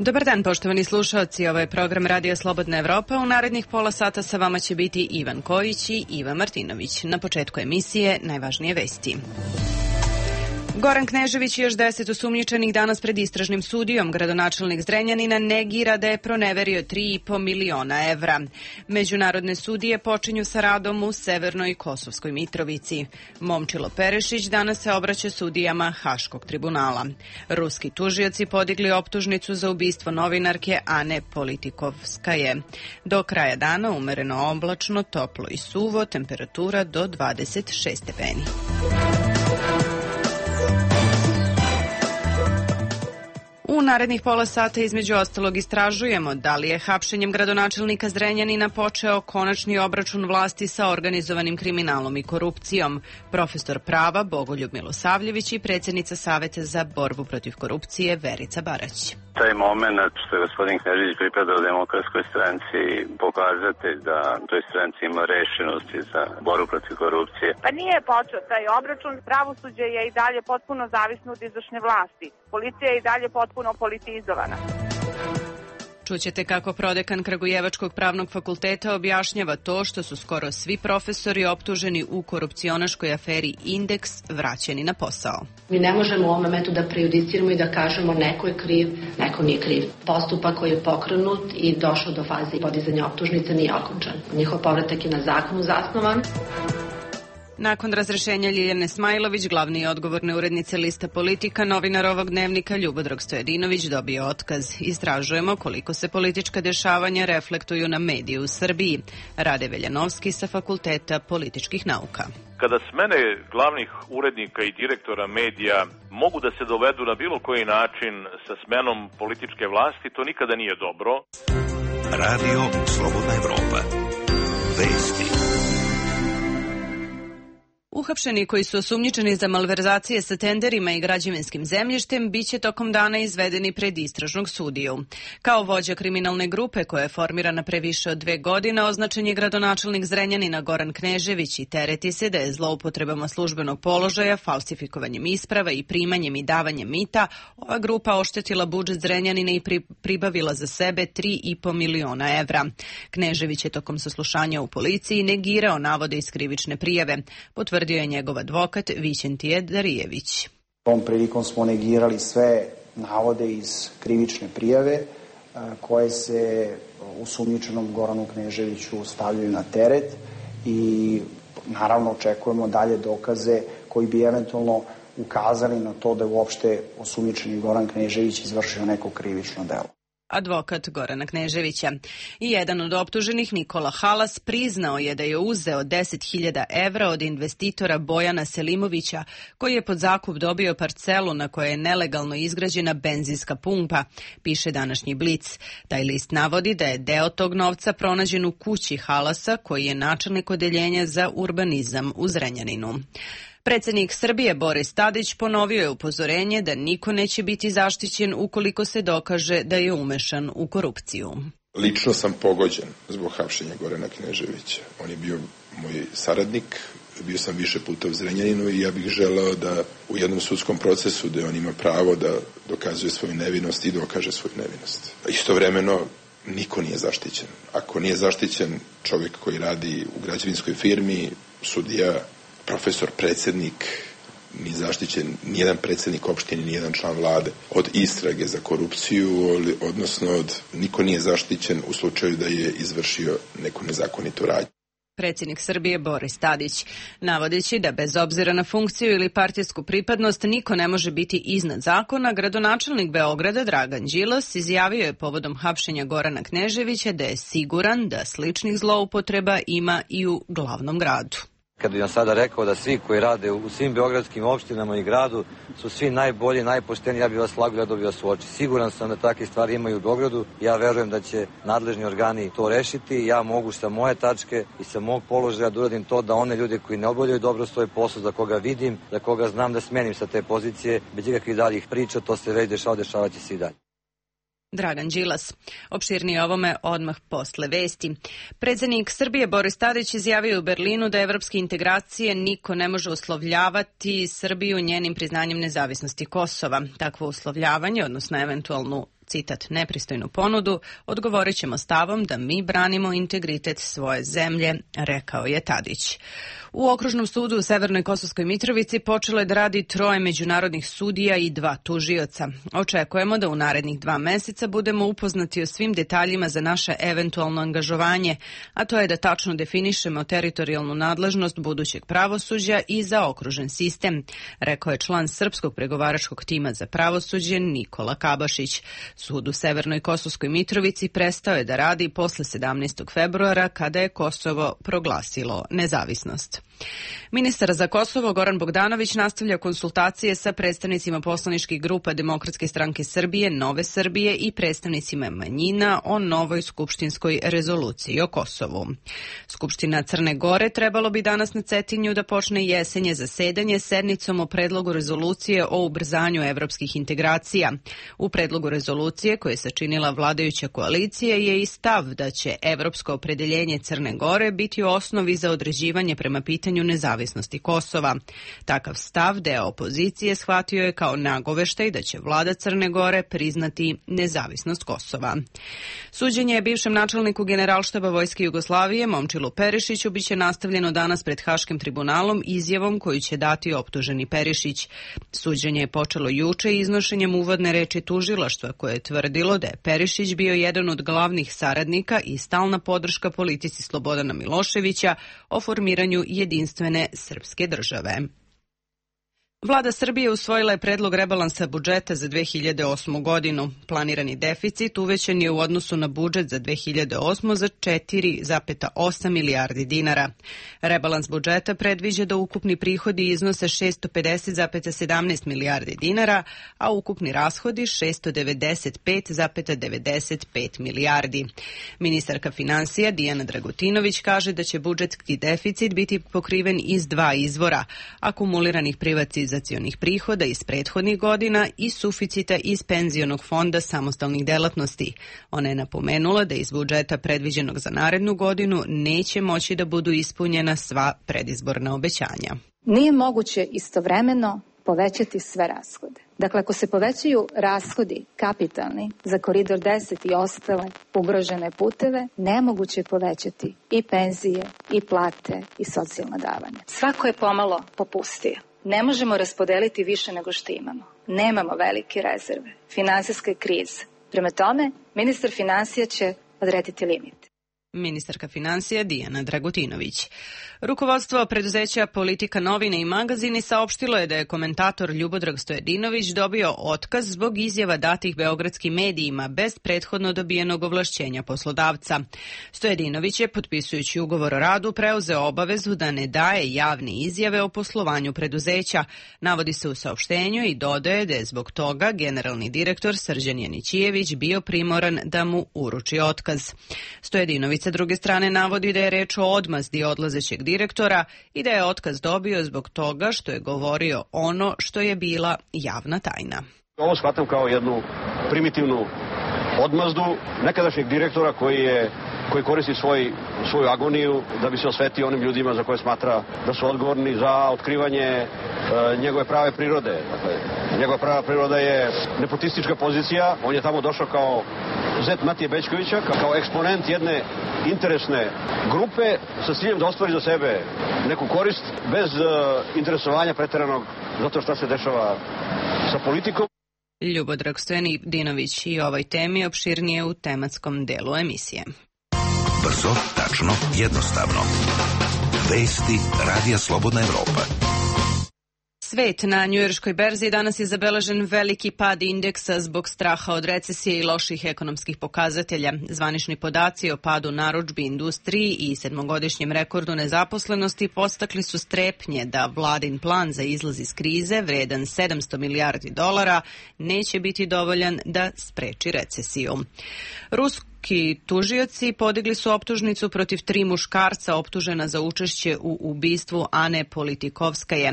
Dobar dan, poštovani slušaoci. Ovo je program Radio Slobodna Evropa. U narednih pola sata sa vama će biti Ivan Kojić i Iva Martinović. Na početku emisije najvažnije vesti. Goran Knežević i još 10 osumnjičenih danas pred istražnim sudijom. Gradonačelnik Zrenjanina negira da je proneverio 3,5 miliona evra. Međunarodne sudije počinju sa radom u Severnoj Kosovskoj Mitrovici. Momčilo Perešić danas se obraća sudijama Haškog tribunala. Ruski tužioci podigli optužnicu za ubistvo novinarke Ane Politikovskaje. Do kraja dana umereno oblačno, toplo i suvo, temperatura do 26 stepeni. U narednih pola sata između ostalog istražujemo da li je hapšenjem gradonačelnika Zrenjanina počeo konačni obračun vlasti sa organizovanim kriminalom i korupcijom. Profesor prava Bogoljub Milosavljević i predsjednica Saveta za borbu protiv korupcije Verica Barać. Taj moment što je gospodin Knežević pripadao Demokratskoj stranci pokazatelj da toj stranci ima rešenosti za borbu protiv korupcije. Pa nije počeo taj obračun, pravosuđe je i dalje potpuno zavisno od izvršne vlasti. Policija je i dalje potpuno politizovana. Čućete kako prodekan Kragujevačkog pravnog fakulteta objašnjava to što su skoro svi profesori optuženi u korupcionaškoj aferi Indeks vraćeni na posao. Mi ne možemo u ovom momentu da prejudiciramo i da kažemo neko je kriv, neko nije kriv. Postupak koji je pokrenut i došao do faze podizanja optužnice nije okončan. Njihov povratak je na zakonu zasnovan. Nakon razrešenja Ljiljane Smajlović, glavni i odgovorne urednice lista Politika, novinar ovog dnevnika Ljubodrag Stojadinović dobio otkaz. Istražujemo koliko se politička dešavanja reflektuju na medije u Srbiji. Rade Veljanovski sa Fakulteta političkih nauka. Kada smene glavnih urednika i direktora medija mogu da se dovedu na bilo koji način sa smenom političke vlasti, to nikada nije dobro. Radio Slobodna Evropa. Vesti. Uhapšeni koji su osumnjičeni za malverzacije sa tenderima i građevinskim zemljištem biće tokom dana izvedeni pred istražnog sudiju. Kao vođa kriminalne grupe koja je formirana pre više od 2 godine, označen je gradonačelnik Zrenjanina Goran Knežević i tereti se da je zloupotrebama službenog položaja, falsifikovanjem isprava i primanjem i davanjem mita ova grupa oštetila budžet Zrenjanina i pribavila za sebe 3,5 miliona evra. Knežević je tokom saslušanja u policiji negirao navode iz krivične prijave. Potvrdio je njegov advokat Vićentije Darijević. Tom prilikom smo negirali sve navode iz krivične prijave koje se osumnjičenom Goranu Kneževiću stavljaju na teret i naravno očekujemo dalje dokaze koji bi eventualno ukazali na to da je uopšte osumnjičeni Goran Knežević izvršio neko krivično delo. Advokat Gorana Kneževića. I jedan od optuženih, Nikola Halas, priznao je da je uzeo 10.000 evra od investitora Bojana Selimovića, koji je pod zakup dobio parcelu na kojoj je nelegalno izgrađena benzinska pumpa, piše današnji Blic. Taj list navodi da je deo tog novca pronađen u kući Halasa, koji je načelnik odeljenja za urbanizam u Zrenjaninu. Predsjednik Srbije Boris Tadić ponovio je upozorenje da niko neće biti zaštićen ukoliko se dokaže da je umešan u korupciju. Lično sam pogođen zbog hapšenja Gorana Kneževića. On je bio moj saradnik, bio sam više puta u Zrenjaninu i ja bih želeo da u jednom sudskom procesu gde on ima pravo da dokazuje svoju nevinost i dokaže svoju nevinost. Istovremeno niko nije zaštićen. Ako nije zaštićen čovjek koji radi u građevinskoj firmi, sudija, profesor, predsjednik, ni zaštićen nijedan predsjednik opštine, nijedan član vlade od istrage za korupciju, odnosno niko nije zaštićen u slučaju da je izvršio neku nezakonitu radnju. Predsjednik Srbije Boris Tadić, navodeći da bez obzira na funkciju ili partijsku pripadnost niko ne može biti iznad zakona, gradonačelnik Beograda Dragan Đilas izjavio je povodom hapšenja Gorana Kneževića da je siguran da sličnih zloupotreba ima i u glavnom gradu. Kad bih vam sada rekao da svi koji rade u svim beogradskim opštinama i gradu su svi najbolji, najpošteniji, ja bih vas gledao bi vas u oči. Siguran sam da takve stvari ima i u Beogradu. Ja verujem da će nadležni organi to rešiti. Ja mogu sa moje tačke i sa mog položaja da uradim to da one ljude koji ne obavljaju dobro svoj posao, za koga vidim, za koga znam da smenim sa te pozicije, bez ikakvih daljih priča, to se već dešavaće se i dalje. Dragan Đilas. Opširnije ovome odmah posle vesti. Predsjednik Srbije Boris Tadić izjavio u Berlinu da evropske integracije niko ne može uslovljavati Srbiju njenim priznanjem nezavisnosti Kosova. Takvo uslovljavanje, odnosno eventualnu citat, nepristojnu ponudu, odgovorit ćemo stavom da mi branimo integritet svoje zemlje, rekao je Tadić. U Okružnom sudu u Severnoj Kosovskoj Mitrovici počelo je da radi 3 međunarodnih sudija i 2 tužioca. Očekujemo da u narednih 2 meseca budemo upoznati o svim detaljima za naše eventualno angažovanje, a to je da tačno definišemo teritorijalnu nadležnost budućeg pravosuđa i zaokružen sistem, rekao je član srpskog pregovaračkog tima za pravosuđe Nikola Kabašić. Sud u Severnoj Kosovskoj Mitrovici prestao je da radi posle 17. februara kada je Kosovo proglasilo nezavisnost. Ministar za Kosovo Goran Bogdanović nastavlja konsultacije sa predstavnicima poslaničkih grupa Demokratske stranke Srbije, Nove Srbije i predstavnicima manjina o novoj skupštinskoj rezoluciji o Kosovu. Skupština Crne Gore trebalo bi danas na Cetinju da počne jesenje zasedanje sednicom o predlogu rezolucije o ubrzanju evropskih integracija. U predlogu rezolucije koje je sačinila vladajuća koalicija je i stav da će evropsko opredeljenje Crne Gore biti u osnovi za određivanje prema pitanju nezavisnosti Kosova. Takav stav deo opozicije shvatio je kao nagoveštaj da će vlada Crne Gore priznati nezavisnost Kosova. Suđenje bivšem načelniku Generalštaba Vojske Jugoslavije Momčilu Perišiću biće nastavljeno danas pred Haškim tribunalom izjavom koju će dati optuženi Perišić. Suđenje je počelo juče iznošenjem uvodne reči tužilaštva koje je tvrdilo da je Perišić bio jedan od glavnih saradnika i stalna podrška politici Slobodana Miloševića o formiranju jedinstvene srpske države. Vlada Srbije usvojila je predlog rebalansa budžeta za 2008. godinu. Planirani deficit uvećan je u odnosu na budžet za 2008. za 4,8 milijardi dinara. Rebalans budžeta predviđa da ukupni prihodi iznose 650,17 milijardi dinara, a ukupni rashodi 695,95 milijardi. Ministarka finansija Dijana Dragutinović kaže da će budžetski deficit biti pokriven iz 2 izvora, akumuliranih privatizacionih prihoda iz prethodnih godina i suficita iz penzionog fonda samostalnih delatnosti. Ona je napomenula da iz budžeta predviđenog za narednu godinu neće moći da budu ispunjena sva predizborna obećanja. Nije moguće istovremeno povećati sve rashode. Dakle, ako se povećaju rashodi kapitalni za Koridor 10 i ostale ugrožene puteve, nemoguće je povećati i penzije, i plate, i socijalna davanja. Svako je pomalo popustio. Ne možemo raspodeliti više nego što imamo. Nemamo velike rezerve. Finansijska je kriza. Prema tome, ministar finansija će odrediti limit. Ministarka financija Dijana Dragutinović. Rukovodstvo preduzeća Politika novine i magazini saopštilo je da je komentator Ljubodrag Stojadinović dobio otkaz zbog izjava datih beogradskim medijima bez prethodno dobijenog ovlašćenja poslodavca. Stojadinović je, potpisujući ugovor o radu, preuzeo obavezu da ne daje javne izjave o poslovanju preduzeća. Navodi se u saopštenju i dodaje da je zbog toga generalni direktor Srđan Janićijević bio primoran da mu uruči otkaz. Stojadinović sa druge strane navodi da je reč o odmazdi odlazećeg direktora i da je otkaz dobio zbog toga što je govorio ono što je bila javna tajna. Ovo shvatam kao jednu primitivnu odmazdu nekadašnjeg direktora koji koristi svoju agoniju da bi se osvetio onim ljudima za koje smatra da su odgovorni za otkrivanje njegove prave prirode. Dakle, njegova prava priroda je nepotistička pozicija. On je tamo došao kao zet Matije Bećkovića, kao eksponent jedne interesne grupe sa ciljem da ostvari za sebe neku korist bez interesovanja preteranog zato šta se dešava sa politikom. Ljubodrag Stojadinović i ovoj temi opširnije u tematskom delu emisije. Brzo, tačno, jednostavno. Vesti Radija Slobodna Evropa. Svet na njujorškoj berzi danas je zabeležen veliki pad indeksa zbog straha od recesije i loših ekonomskih pokazatelja. Zvanični podaci o padu narudžbi industriji i 7-godišnjem rekordu nezaposlenosti podstakli su strepnje da vladin plan za izlaz iz krize, vredan $700 milijardi, neće biti dovoljan da spreči recesiju. Visoki tužioci podigli su optužnicu protiv 3 muškarca optužena za učešće u ubistvu Ane Politikovskaje.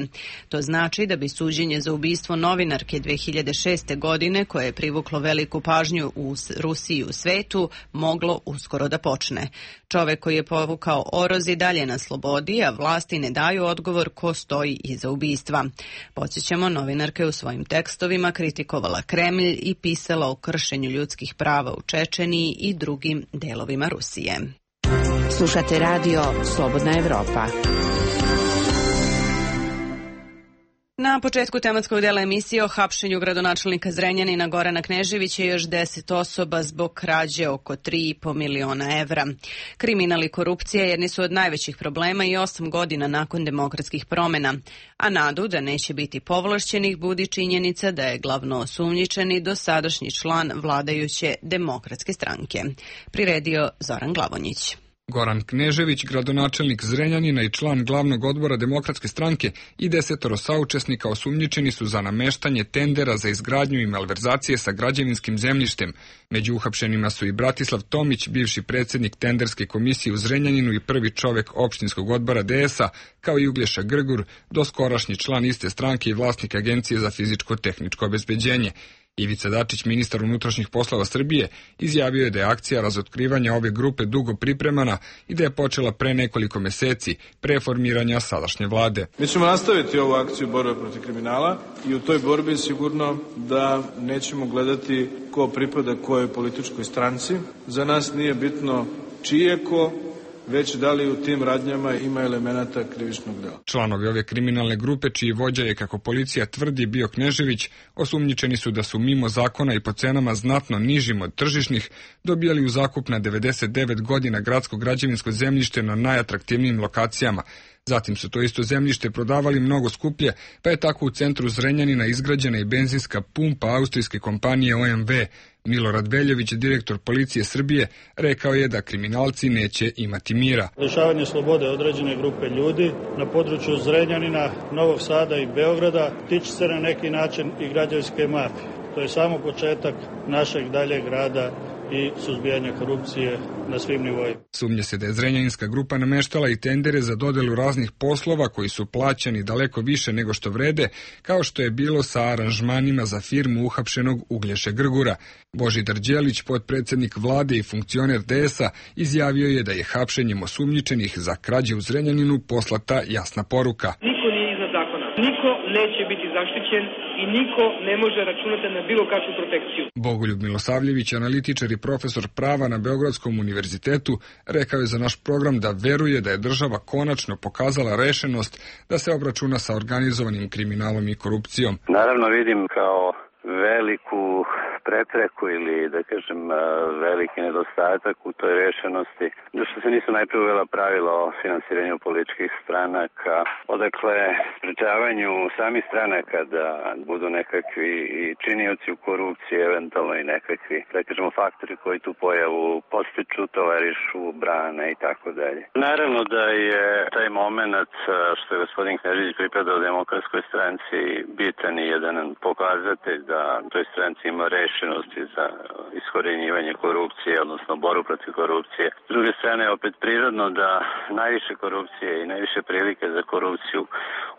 To znači da bi suđenje za ubistvo novinarke 2006. godine, koje je privuklo veliku pažnju u Rusiji i u svetu, moglo uskoro da počne. Čovek koji je povukao oroz i dalje na slobodi, a vlasti ne daju odgovor ko stoji iza ubistva. Podsjećamo, novinarka je u svojim tekstovima kritikovala Kremlj i pisala o kršenju ljudskih prava u Čečeniji i drugim delovima Rusije. Slušate radio Slobodna Evropa. Na početku tematskog dela emisije o hapšenju gradonačelnika Zrenjanina Gorana Kneževića i još 10 osoba zbog krađe oko 3,5 miliona evra. Kriminal i korupcija jedni su od najvećih problema i 8 godina nakon demokratskih promena, a nadu da neće biti povlašćenih budi činjenica da je glavno osumnjičeni dosadašnji član vladajuće Demokratske stranke. Priredio Zoran Glavonjić. Goran Knežević, gradonačelnik Zrenjanina i član glavnog odbora Demokratske stranke i 10 saučesnika osumnjičeni su za nameštanje tendera za izgradnju i malverzacije sa građevinskim zemljištem. Među uhapšenima su i Bratislav Tomić, bivši predsjednik tenderske komisije u Zrenjaninu i prvi čovek opštinskog odbora DS-a, kao i Uglješa Grgur, doskorašnji član iste stranke i vlasnik Agencije za fizičko-tehničko obezbeđenje. Ivica Dačić, ministar unutrašnjih poslova Srbije, izjavio je da je akcija razotkrivanja ove grupe dugo pripremana i da je počela pre nekoliko meseci, pre formiranja sadašnje vlade. Mi ćemo nastaviti ovu akciju borbe protiv kriminala i u toj borbi sigurno da nećemo gledati ko pripada kojoj političkoj stranci. Za nas nije bitno čije ko, već da li u tim radnjama ima elemenata krivičnog dela. Članovi ove kriminalne grupe, čiji vođa je, kako policija tvrdi, bio Knežević, osumnjičeni su da su mimo zakona i po cenama znatno nižim od tržišnih dobijali u zakup na 99 godina gradsko građevinsko zemljište na najatraktivnijim lokacijama. Zatim su to isto zemljište prodavali mnogo skuplje, pa je tako u centru Zrenjanina izgrađena i benzinska pumpa austrijske kompanije OMV. Milorad Veljović, direktor policije Srbije, rekao je da kriminalci neće imati mira. Lišavanje slobode određene grupe ljudi na području Zrenjanina, Novog Sada i Beograda tiče se na neki način i građevinske mafije. To je samo početak našeg daljeg rada i suzbijanja korupcije na svim nivoima. Sumnja se da je zrenjaninska grupa nameštala i tendere za dodelu raznih poslova koji su plaćani daleko više nego što vrede, kao što je bilo sa aranžmanima za firmu uhapšenog Uglješe Grgura. Božidar Đelić, potpredsjednik vlade i funkcioner DS-a, izjavio je da je hapšenjem osumnjičenih za krađe u Zrenjaninu poslata jasna poruka. Niko nije iznad zakona, niko neće biti zaštićen i niko ne može računati na bilo kakvu protekciju. Bogoljub Milosavljević, analitičar i profesor prava na Beogradskom univerzitetu, rekao je za naš program da veruje da je država konačno pokazala rešenost da se obračuna sa organizovanim kriminalom i korupcijom. Naravno vidim kao veliku prepreku ili, da kažem, veliki nedostatak u toj rešenosti, da što se nisu najprije uvela pravila o finansiranju političkih stranaka, odakle sprečavanju samih stranaka da budu nekakvi činioci u korupciji, eventualno i nekakvi, da kažemo, faktori koji tu pojavu postiču, tolerišu, brane i tako dalje. Naravno da je taj moment što je gospodin Knežević pripadao Demokratskoj stranci bitan i jedan pokazatelj da toj stranci ima rešenosti za iskorjenjivanje korupcije, odnosno boru protiv korupcije. S druge strane, opet prirodno da najviše korupcije i najviše prilike za korupciju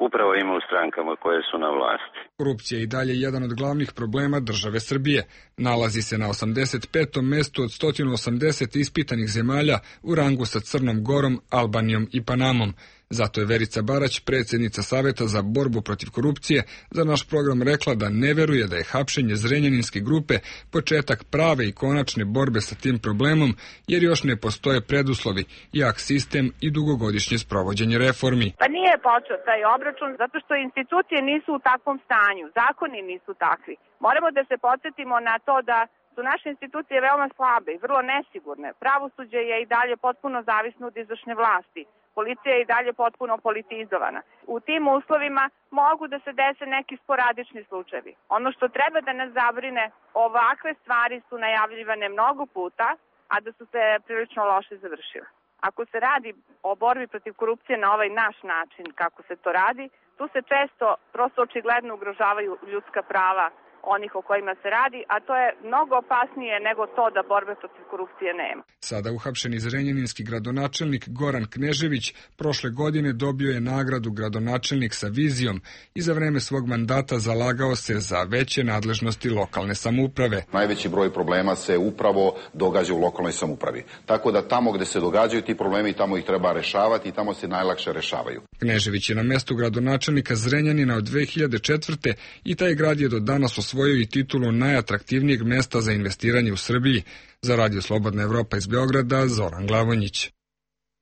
upravo ima u strankama koje su na vlasti. Korupcija je i dalje jedan od glavnih problema države Srbije. Nalazi se na 85. mestu od 180 ispitanih zemalja u rangu sa Crnom Gorom, Albanijom i Panamom. Zato je Verica Barać, predsjednica Saveta za borbu protiv korupcije, za naš program rekla da ne veruje da je hapšenje zrenjaninske grupe početak prave i konačne borbe sa tim problemom, jer još ne postoje preduslovi, jak sistem i dugogodišnje sprovođenje reformi. Pa nije počeo taj obračun zato što institucije nisu u takvom stanju, zakoni nisu takvi. Moramo da se podsjetimo na to da su naše institucije veoma slabe i vrlo nesigurne. Pravosuđe je i dalje potpuno zavisno od izvršne vlasti. Policija je i dalje potpuno politizovana. U tim uslovima mogu da se dese neki sporadični slučajevi. Ono što treba da nas zabrine, ovakve stvari su najavljivane mnogo puta, a da su se prilično loše završile. Ako se radi o borbi protiv korupcije na ovaj naš način, kako se to radi, tu se često, prosto očigledno ugrožavaju ljudska prava onih o kojima se radi, a to je mnogo opasnije nego to da borbe protiv korupcije nema. Sada uhapšeni zrenjaninski gradonačelnik Goran Knežević prošle godine dobio je nagradu gradonačelnik sa vizijom i za vreme svog mandata zalagao se za veće nadležnosti lokalne samouprave. Najveći broj problema se upravo događa u lokalnoj samoupravi. Tako da tamo gde se događaju ti problemi, tamo ih treba rešavati i tamo se najlakše rešavaju. Knežević je na mestu gradonačelnika Zrenjanina od 2004. i taj grad je do danas osvojio i titulu najatraktivnijeg mesta za investiranje u Srbiji. Za Radio Slobodna Evropa iz Beograda, Zoran Glavonjić.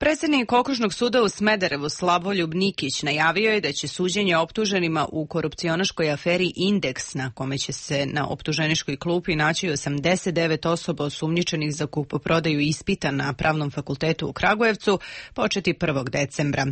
Predsjednik Okružnog suda u Smederevu Slavoljub Nikić najavio je da će suđenje optuženima u korupcionaškoj aferi Indeks, na kome će se na optuženičkoj klupi naći 89 osoba osumnjičenih za kupoprodaju ispita na Pravnom fakultetu u Kragujevcu, početi 1. decembra.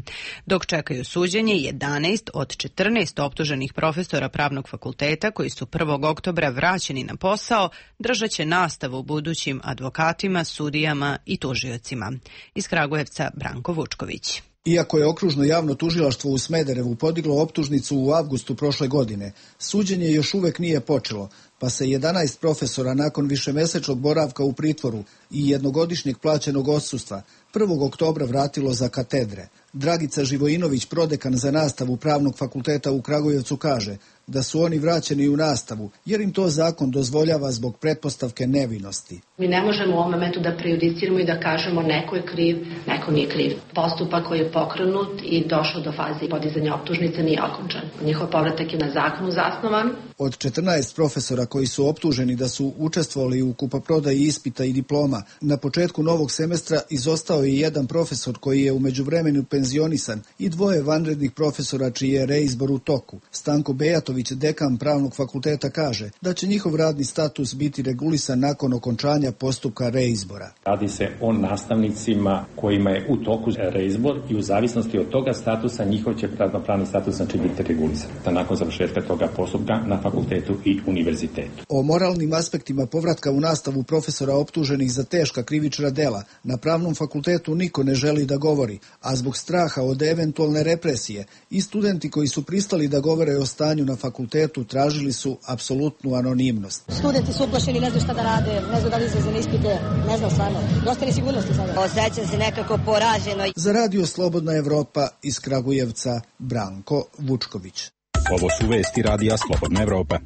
Dok čekaju suđenje 11 od 14 optuženih profesora Pravnog fakulteta koji su 1. oktobra vraćeni na posao, držat će nastavu budućim advokatima, sudijama i tužiocima. Iz Kragujevca Branko Vučković. Iako je Okružno javno tužilaštvo u Smederevu podiglo optužnicu u avgustu prošle godine, suđenje još uvek nije počelo, pa se 11 profesora nakon višemesečnog boravka u pritvoru i jednogodišnjeg plaćenog odsustva 1. oktobra vratilo za katedre. Dragica Živojinović, prodekan za nastavu Pravnog fakulteta u Kragujevcu, kaže da su oni vraćeni u nastavu jer im to zakon dozvoljava zbog pretpostavke nevinosti. Mi ne možemo u ovom momentu da prejudiciramo i da kažemo neko je kriv, neko nije kriv. Postupak koji je pokrenut i došao do faze podizanja optužnice nije okončan. Njihov povratak je na zakonu zasnovan. Od 14 profesora koji su optuženi da su učestvovali u kupoprodaji ispita i diploma, na početku novog semestra izostao je jedan profesor koji je u međuvremenu penzionisan i 2 vanrednih profesora čiji je reizbor u toku. Stanko Bejatović, dekan Pravnog fakulteta, kaže da će njihov radni status biti regulisan nakon okončanja postupka reizbora. Radi se o nastavnicima kojima je u toku reizbor i u zavisnosti od toga statusa njihov će pravni status znači biti regulisan nakon završetka toga postupka na fakultetu i univerzitetu. O moralnim aspektima povratka u nastavu profesora optuženih za teška krivična dela na Pravnom fakultetu niko ne želi da govori, a zbog straha od eventualne represije i studenti koji su pristali da govore o stanju na fakultetu tražili su apsolutnu anonimnost. Studenti su uplašeni, ne znaju šta da rade, ne znaju da li izlaze na ispite, ne znam stvarno. Dosta nesigurnosti sada. Osjećam se nekako poraženo. Za Radio Slobodna Evropa iz Kragujevca, Branko Vučković. Ovo su vesti Radija Slobodna Evropa.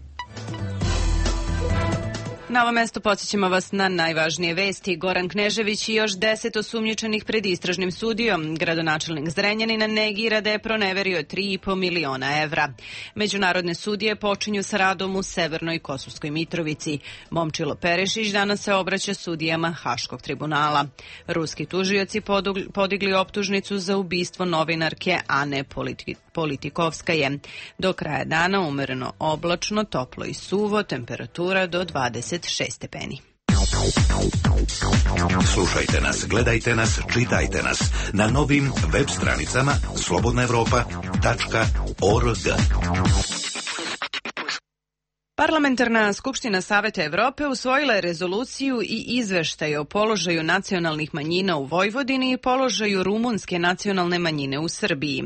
Na ovo mesto podsjećamo vas na najvažnije vesti. Goran Knežević i još 10 osumnjičenih pred istražnim sudijom. Gradonačelnik Zrenjanina negira da je proneverio 3,5 miliona evra. Međunarodne sudije počinju sa radom u Severnoj Kosovskoj Mitrovici. Momčilo Perešić danas se obraća sudijama Haškog tribunala. Ruski tužioci podigli optužnicu za ubistvo novinarke Ane Politikovskaje. Do kraja dana umereno oblačno, toplo i suvo, temperatura do 26 stepeni. Slušajte nas, gledajte nas, čitajte nas na novim web stranicama slobodnaevropa.org. Parlamentarna skupština Saveta Evrope usvojila je rezoluciju i izveštaj o položaju nacionalnih manjina u Vojvodini i položaju rumunske nacionalne manjine u Srbiji.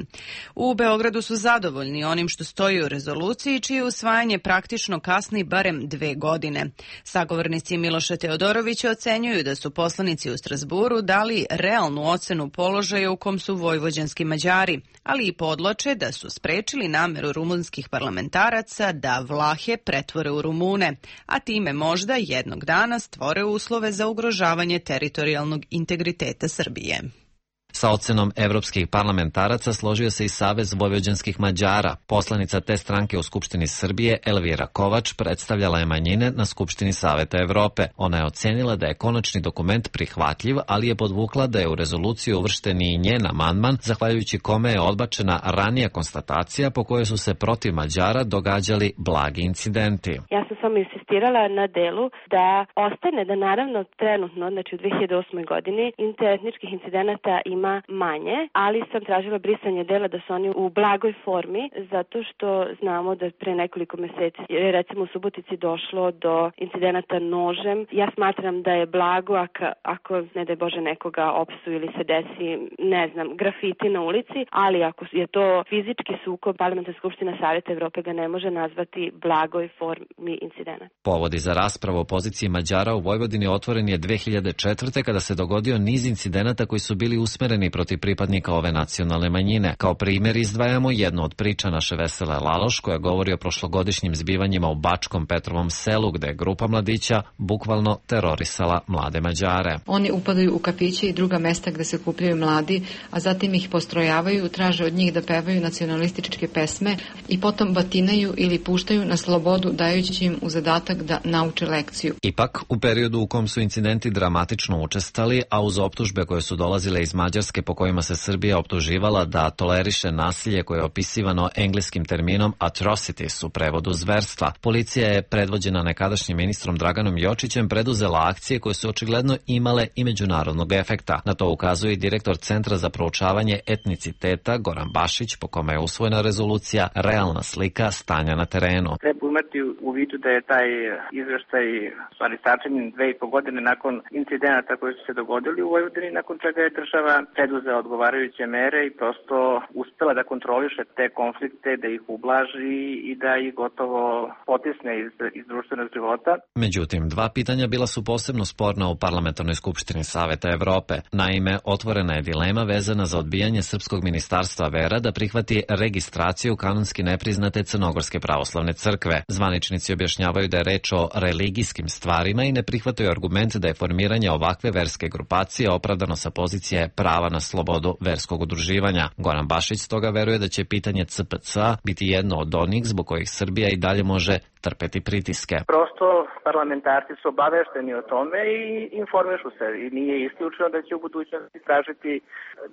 U Beogradu su zadovoljni onim što stoji u rezoluciji, čije usvajanje praktično kasni barem 2 godine. Sagovornici Miloša Teodorovića ocenjuju da su poslanici u Strazburu dali realnu ocenu položaja u kom su vojvođanski Mađari, ali i podloče da su sprečili nameru rumunskih parlamentaraca da Vlahe pretvore u Rumune, a time možda jednog dana stvore uslove za ugrožavanje teritorijalnog integriteta Srbije. Sa ocenom evropskih parlamentaraca složio se i Savez vojvođanskih Mađara. Poslanica te stranke u Skupštini Srbije, Elvira Kovač, predstavljala je manjine na Skupštini Saveta Evrope. Ona je ocenila da je konačni dokument prihvatljiv, ali je podvukla da je u rezoluciju uvršten i njen amandman, zahvaljujući kome je odbačena ranija konstatacija po kojoj su se protiv Mađara događali blagi incidenti. Ja sam samo insistirala na delu da ostane da naravno trenutno, znači u 2008. godini, interetničkih incidenata ima ima manje, ali sam tražila brisanje dela da su oni u blagoj formi, zato što znamo da pre nekoliko meseci, recimo u Subotici, došlo do incidenata nožem. Ja smatram da je blago ako ne daj Bože nekoga opsu ili se desi, ne znam, grafiti na ulici, ali ako je to fizički sukob, Parlamentarna skupština Saveta Evrope ga ne može nazvati blagoj formi incidenta. Povodi za raspravu o poziciji Mađara u Vojvodini otvoren je 2004. kada se dogodio niz incidenata koji su bili usmereni protiv pripadnika ove nacionalne manjine. Kao primjer izdvajamo jednu od priča naše Vesele Laloš koja govori o prošlogodišnjim zbivanjima u Bačkom Petrovom selu gde je grupa mladića bukvalno terorisala mlade Mađare. Oni upadaju u kafiće i druga mesta gde se kupljaju mladi, a zatim ih postrojavaju, traže od njih da pevaju nacionalističke pesme i potom batinaju ili puštaju na slobodu dajući im u zadatak da nauče lekciju. Ipak, u periodu u kom su incidenti dramatično učestali, a uz optužbe koje su dolazile iz Mađarske po kojima se Srbija optuživala da toleriše nasilje koje je opisivano engleskim terminom atrocities u prevodu zverstva, policija je predvođena nekadašnjim ministrom Draganom Jočićem preduzela akcije koje su očigledno imale i međunarodnog efekta. Na to ukazuje i direktor Centra za proučavanje etniciteta Goran Bašić, po kome je usvojena rezolucija realna slika stanja na terenu. Treba imati u vidu da je taj izveštaj stvari sačinjen 2,5 godine nakon incidenata koji su se dogodili u Vojvodini, nakon čega je država preduzela odgovarajuće mere i prosto uspela da kontroliše te konflikte, da ih ublaži i da ih gotovo potisne iz društvenog života. Međutim, dva pitanja bila su posebno sporna u Parlamentarnoj skupštini Saveta Evrope. Naime, otvorena je dilema vezana za odbijanje Srpskog ministarstva vera da prihvati registraciju kanonski nepriznate Crnogorske pravoslavne crkve. Zvaničnici objašnjavaju da je reč o religijskim stvarima i ne prihvataju argument da je formiranje ovakve verske grupacije opravdano sa pozicije prava na slobodu verskog udruživanja. Goran Bašić stoga veruje da će pitanje CPC biti jedno od onih zbog kojih Srbija i dalje može trpeti pritiske. Prosto parlamentarci su obavešteni o tome i informišu se i nije isključeno da će u budućnosti tražiti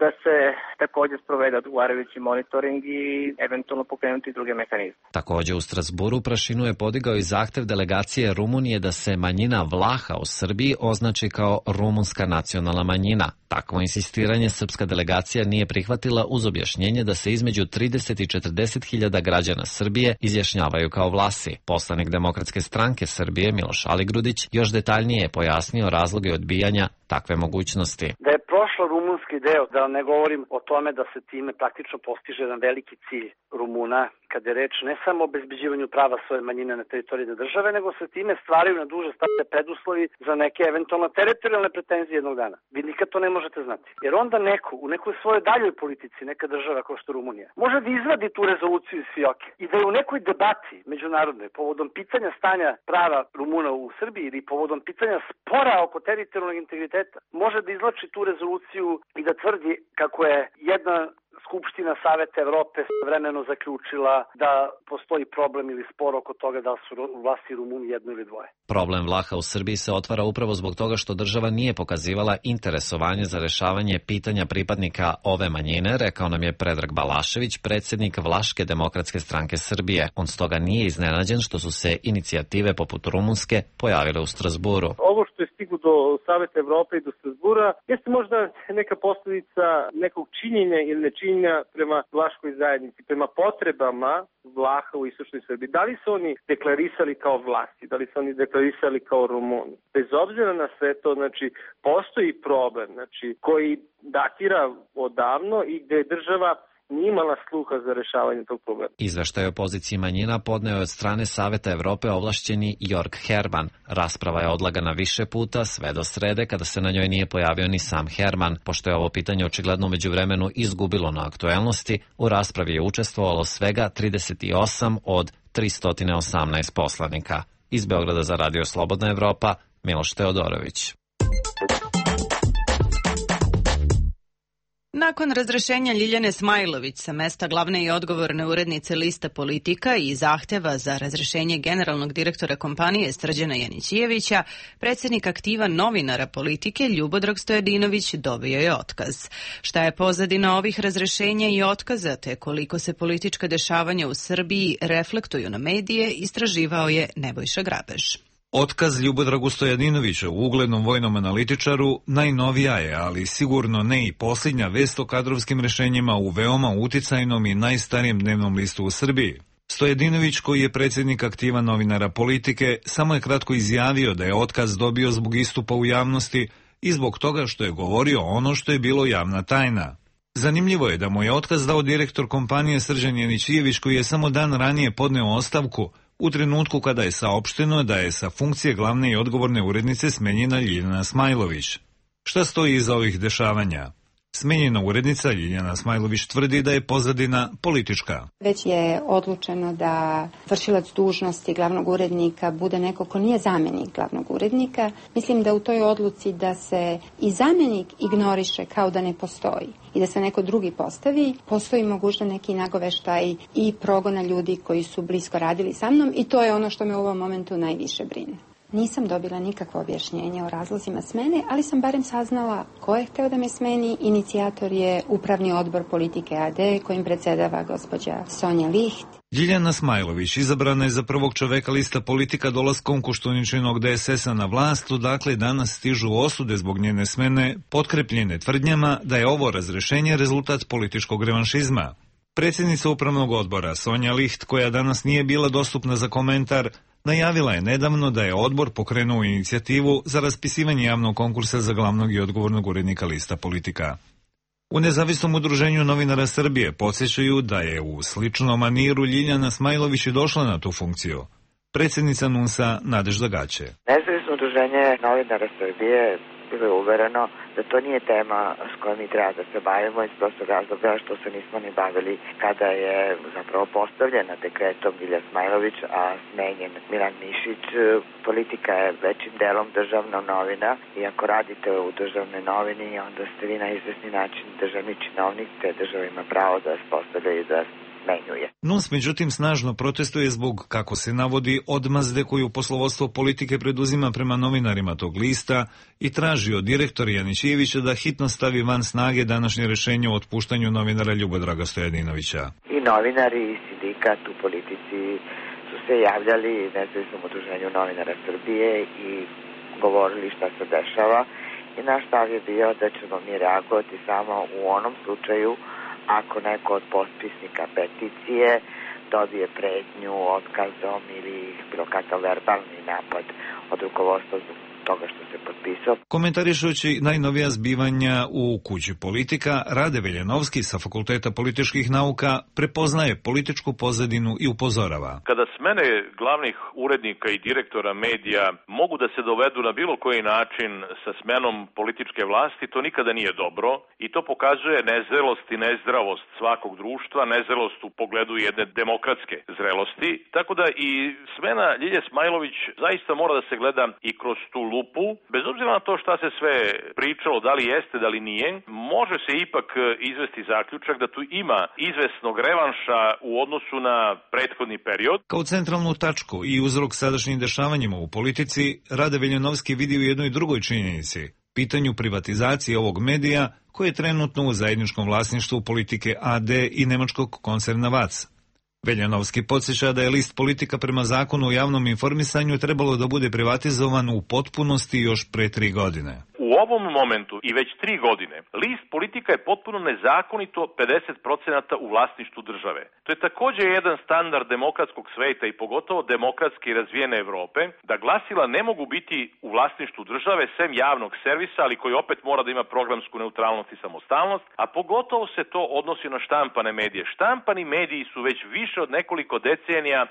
da se takođe sprovede odgovarajući monitoring i eventualno pokrenuti druge mehanizme. Takođe u Strasburu prašinu je podigao i zahtev delegacije Rumunije da se manjina Vlaha u Srbiji označi kao rumunska nacionalna manjina. Takvo insistiranje srpska delegacija nije prihvatila uz objašnjenje da se između 30 i 40 hiljada građana Srbije izjašnjavaju kao Vlasi. Poslanik Demokratske stranke Srbije Miloš Aligrudić još detaljnije je pojasnio razloge odbijanja takve mogućnosti. Da je prošlo rumunski deo, da ne govorim o tome da se time praktično postiže jedan veliki cilj Rumuna, kada je reč ne samo o obezbeđivanju prava svoje manjine na teritoriji države, nego se time stvaraju na duže staze preduslovi za neke eventualno teritorijalne pretenzije jednog dana. Vi nikad to ne možete znati. Jer onda neko u nekoj svojoj daljoj politici, neka država kao što Rumunija, može da izvadi tu rezoluciju iz fioke i da je u nekoj debati međunarodnoj povodom pitanja stanja prava Rumuna u Srbiji ili povodom pitanja spora oko teritorijalnog integriteta može da izvlači tu rezoluciju i da tvrdi kako je jedna Skupština Saveta Evrope vremenno zaključila da postoji problem ili spor oko toga da su vlasti Rumuni jedno ili dvoje. Problem Vlaha u Srbiji se otvara upravo zbog toga što država nije pokazivala interesovanje za rešavanje pitanja pripadnika ove manjine, rekao nam je Predrag Balašević, predsjednik Vlaške demokratske stranke Srbije. On stoga nije iznenađen što su se inicijative poput rumunske pojavile u Strasburu. Ovo što je stiglo do Saveta Evrope i do Strasbura jeste možda neka posljedica nekog činjenja ili nečinjenja prema vlaškoj zajednici, prema potrebama Vlaha u istočnoj Srbiji. Da li su oni deklarisali kao vlasti, da li su oni deklarisali kao Rumuni? Bez obzira na sve to, znači, postoji problem, znači, koji datira odavno i gde je država nije imala sluha za rešavanje tog problema. Izveštaj o poziciji manjina podneo je od strane Saveta Evrope ovlašćeni Jörg Herman. Rasprava je odlagana više puta, sve do srede, kada se na njoj nije pojavio ni sam Herman. Pošto je ovo pitanje očigledno među vremenu izgubilo na aktuelnosti, u raspravi je učestvovalo svega 38 od 318 poslanika. Iz Beograda za Radio Slobodna Evropa, Miloš Teodorović. Nakon razrešenja Ljiljane Smajlović sa mesta glavne i odgovorne urednice Lista Politika i zahteva za razrešenje generalnog direktora kompanije Srđana Janićijevića, predsjednik aktiva novinara Politike Ljubodrag Stojadinović dobio je otkaz. Šta je pozadina ovih razrešenja i otkaza, te koliko se politička dešavanja u Srbiji reflektuju na medije, istraživao je Nebojša Grabež. Otkaz Ljubodragu Stojadinovića, uglednom vojnom analitičaru, najnovija je, ali sigurno ne i posljednja vest o kadrovskim rešenjima u veoma uticajnom i najstarijem dnevnom listu u Srbiji. Stojadinović, koji je predsjednik aktiva novinara Politike, samo je kratko izjavio da je otkaz dobio zbog istupa u javnosti i zbog toga što je govorio ono što je bilo javna tajna. Zanimljivo je da mu je otkaz dao direktor kompanije Srđan Janićijević, koji je samo dan ranije podneo ostavku, u trenutku kada je saopšteno da je sa funkcije glavne i odgovorne urednice smenjena Ljiljana Smajlović. Šta stoji iza ovih dešavanja? Smenjena urednica Ljiljana Smajlović tvrdi da je pozadina politička. Već je odlučeno da vršilac dužnosti glavnog urednika bude neko ko nije zamjenik glavnog urednika. Mislim da u toj odluci da se i zamjenik ignoriše kao da ne postoji i da se neko drugi postavi, postoji možda neki nagoveštaj i progona ljudi koji su blisko radili sa mnom i to je ono što me u ovom momentu najviše brine. Nisam dobila nikakvo objašnjenje o razlozima smene, ali sam barem saznala ko je hteo da me smeni. Inicijator je Upravni odbor Politike AD, kojim predsjedava gospođa Sonja Liht. Ljiljana Smajlović izabrana je za prvog čoveka lista Politika dolaskom Koštuničinog DSS-a na vlast, odakle danas stižu osude zbog njene smene, potkrepljene tvrdnjama da je ovo razrešenje rezultat političkog revanšizma. Predsjednica Upravnog odbora Sonja Liht, koja danas nije bila dostupna za komentar, najavila je nedavno da je odbor pokrenuo inicijativu za raspisivanje javnog konkursa za glavnog i odgovornog urednika lista Politika. U Nezavisnom udruženju novinara Srbije podsjećaju da je u sličnom maniru Ljiljana Smajlović i došla na tu funkciju. Predsjednica NUNS-a Nadežda Gaće. Nezavisno udruženje novinara Srbije bilo je uvereno da to nije tema s kojom mi treba da se bavimo iz prostog razloga što se nismo ni bavili kada je zapravo postavljena dekretom Ljilja Smajlović, a smenjen Milan Mišić. Politika je većim delom državna novina i ako radite u državnoj novini, onda ste vi na izvesni način državni činovnik, te država ima pravo da vas postavlja i da menjuje. NUNS međutim snažno protestuje zbog, kako se navodi, odmazde koju poslovodstvo Politike preduzima prema novinarima tog lista i traži od direktora Janićijevića da hitno stavi van snage današnje rešenje o otpuštanju novinara Ljubodraga Stojadinovića. I novinari i sindikat u Politici su se javljali Nezavisnom udruženju novinara Srbije i govorili šta se dešava i naš stav je bio da ćemo mi reagovati samo u onom slučaju ako neko od potpisnika peticije dobije pretnju otkazom ili bilo kakav verbalni napad od rukovodstva zbog toga što se potpisao. Komentarišući najnovija zbivanja u kući Politika, Rade Veljanovski sa Fakulteta političkih nauka prepoznaje političku pozadinu i upozorava. Kada smene glavnih urednika i direktora medija mogu da se dovedu na bilo koji način sa smenom političke vlasti, to nikada nije dobro i to pokazuje nezrelost i nezdravost svakog društva, nezrelost u pogledu jedne demokratske zrelosti. Tako da i smena Ljilje Smajlović zaista mora da se gleda i kroz tu lupu, bez obzira na to šta se sve pričalo, da li jeste, da li nije, može se ipak izvesti zaključak da tu ima izvesnog revanša u odnosu na prethodni period. Kao centralnu tačku i uzrok sadašnjim dešavanjima u politici, Rade Veljanovski vidi u jednoj drugoj činjenici, pitanju privatizacije ovog medija koje je trenutno u zajedničkom vlasništvu Politike AD i nemačkog koncerna VAC. Veljanovski podsjeća da je list Politika prema zakonu o javnom informisanju trebalo da bude privatizovan u potpunosti još pre 3 godine. U ovom momentu i već 3 godine list Politika je potpuno nezakonito 50% u vlasništvu države. To je također jedan standard demokratskog sveta i pogotovo demokratski razvijene Evrope, da glasila ne mogu biti u vlasništvu države sem javnog servisa, ali koji opet mora da ima programsku neutralnost i samostalnost, a pogotovo se to odnosi na štampane medije. Štampani mediji su već više od nekoliko decenija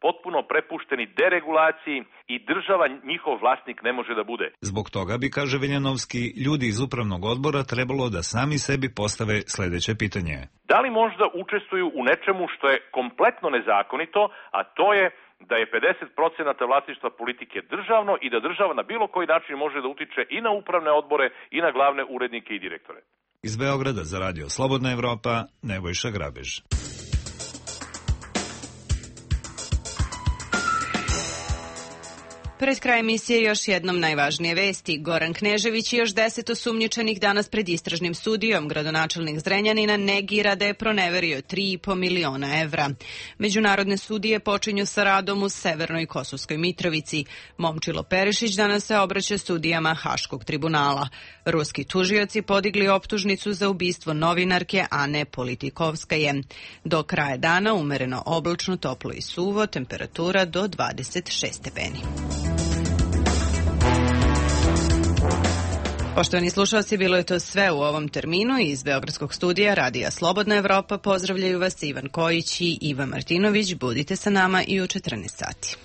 potpuno prepušteni deregulaciji i država njihov vlasnik ne može da bude. Zbog toga bi, kaže Veljanovski, ljudi iz upravnog odbora trebalo da sami sebi postave sledeće pitanje. Da li možda učestvuju u nečemu što je kompletno nezakonito, a to je da je 50% vlasništva Politike državno i da država na bilo koji način može da utiče i na upravne odbore i na glavne urednike i direktore. Iz Beograda za radio Slobodna Evropa, Nebojša Grabež. Pred kraj emisije još jednom najvažnije vesti. Goran Knežević i još 10 osumnjičenih danas pred istražnim sudijom. Gradonačelnik Zrenjanina negira da je proneverio 3,5 miliona evra. Međunarodne sudije počinju sa radom u Severnoj Kosovskoj Mitrovici. Momčilo Perišić danas se obraća sudijama Haškog tribunala. Ruski tužioci podigli optužnicu za ubistvo novinarke Ane Politikovskaje. Do kraja dana umereno oblačno, toplo i suvo, temperatura do 26 stepeni. Poštovani slušalci, bilo je to sve u ovom terminu. Iz Beogradskog studija Radija Slobodna Evropa pozdravljaju vas Ivan Kojić i Iva Martinović. Budite sa nama i u 14 sati.